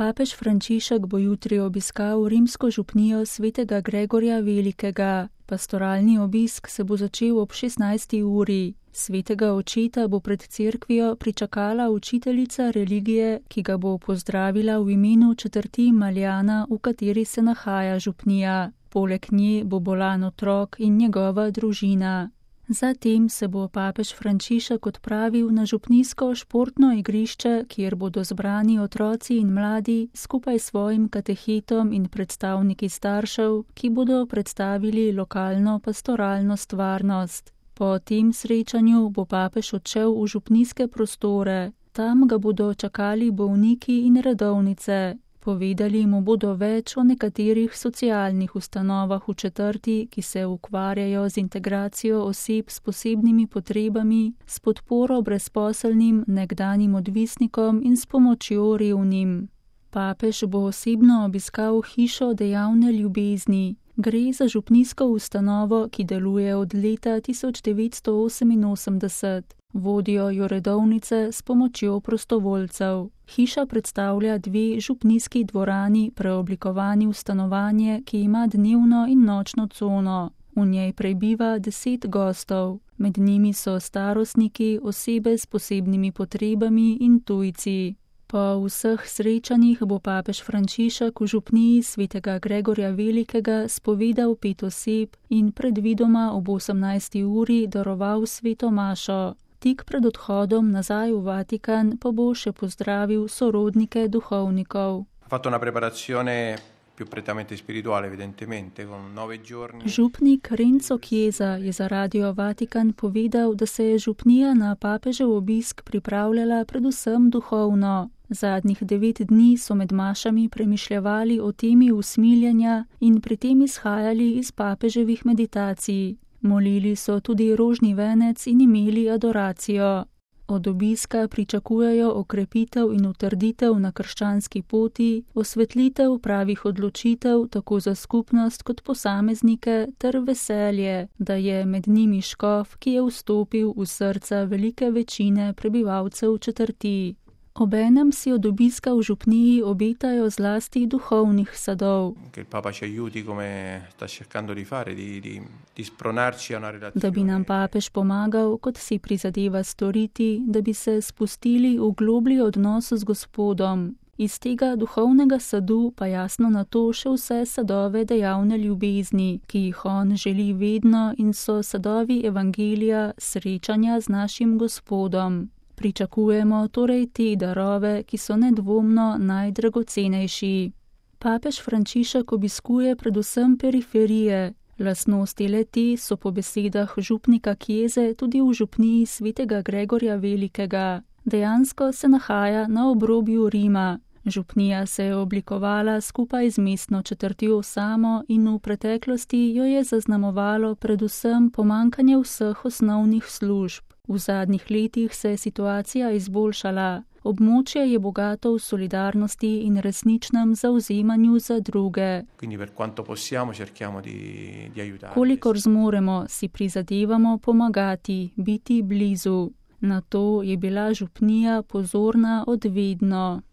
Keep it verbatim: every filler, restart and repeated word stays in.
Papež Frančišek bo jutri obiskal rimsko župnijo svetega Gregorja Velikega. Pastoralni obisk se bo začel ob šestnajsti uri. Svetega očeta bo pred cerkvijo pričakala učiteljica religije, ki ga bo pozdravila v imenu četrti Maljana, v kateri se nahaja župnija. Poleg nje bo bolan otrok in njegova družina. Zatem se bo papež Frančišek odpravil na župnijsko športno igrišče, kjer bodo zbrani otroci in mladi skupaj s svojim katehetom in predstavniki staršev, ki bodo predstavili lokalno pastoralno stvarnost. Po tem srečanju bo papež odšel v župnijske prostore. Tam ga bodo čakali bolniki in redovnice. Povedali mu bodo več o nekaterih socialnih ustanovah v četrti, ki se ukvarjajo z integracijo oseb s posebnimi potrebami, s podporo brezposelnim, nekdanjim odvisnikom in s pomočjo revnim. Papež bo osebno obiskal hišo dejavne ljubezni. Gre za župnijsko ustanovo, ki deluje od leta tisoč devetsto oseminosemdeset. Vodijo jo redovnice s pomočjo prostovoljcev. Hiša predstavlja dve župnijski dvorani, preoblikovani v stanovanje, ki ima dnevno in nočno cono. V njej prebiva deset gostov. Med njimi so starostniki, osebe s posebnimi potrebami in tujci. Po vseh srečanjih bo papež Frančišek v župniji svetega Gregorja Velikega spovedal pet oseb in predvidoma ob osemnajsti uri daroval sveto mašo. Tik pred odhodom nazaj v Vatikan pa bo še pozdravil sorodnike duhovnikov. Župnik Renzo Chiesa je za Radio Vatikan povedal, da se je župnija na papežev obisk pripravljala predvsem duhovno. Zadnjih devet dni so med mašami premišljevali o temi usmiljenja in pri tem izhajali iz papeževih meditacij. Molili so tudi rožni venec in imeli adoracijo. Od obiska pričakujejo okrepitev in utrditev na krščanski poti, osvetlitev pravih odločitev tako za skupnost kot posameznike ter veselje, da je med njimi škof, ki je vstopil v srca velike večine prebivalcev četrti. Obenem si od obiska v župniji obetajo zlasti duhovnih sadov. Da bi nam papež pomagal, kot si prizadeva storiti, da bi se spustili v globlji odnos z Gospodom. Iz tega duhovnega sadu pa jasno na to še vse sadove dejavne ljubezni, ki jih on želi vedno in so sadovi evangelija, srečanja z našim Gospodom. Pričakujemo torej te darove, ki so nedvomno najdragocenejši. Papež Frančišek obiskuje predvsem periferije. Lastnosti le-te so po besedah župnika Chiese tudi v župniji svetega Gregorja Velikega. Dejansko se nahaja na obrobju Rima. Župnija se je oblikovala skupaj z mestno četrtjo samo in v preteklosti jo je zaznamovalo predvsem pomankanje vseh osnovnih služb. V zadnjih letih se je situacija izboljšala. Območje je bogato v solidarnosti in resničnem zavzemanju za druge. Kolikor zmoremo, si prizadevamo pomagati, biti blizu. Na to je bila župnija pozorna od vedno.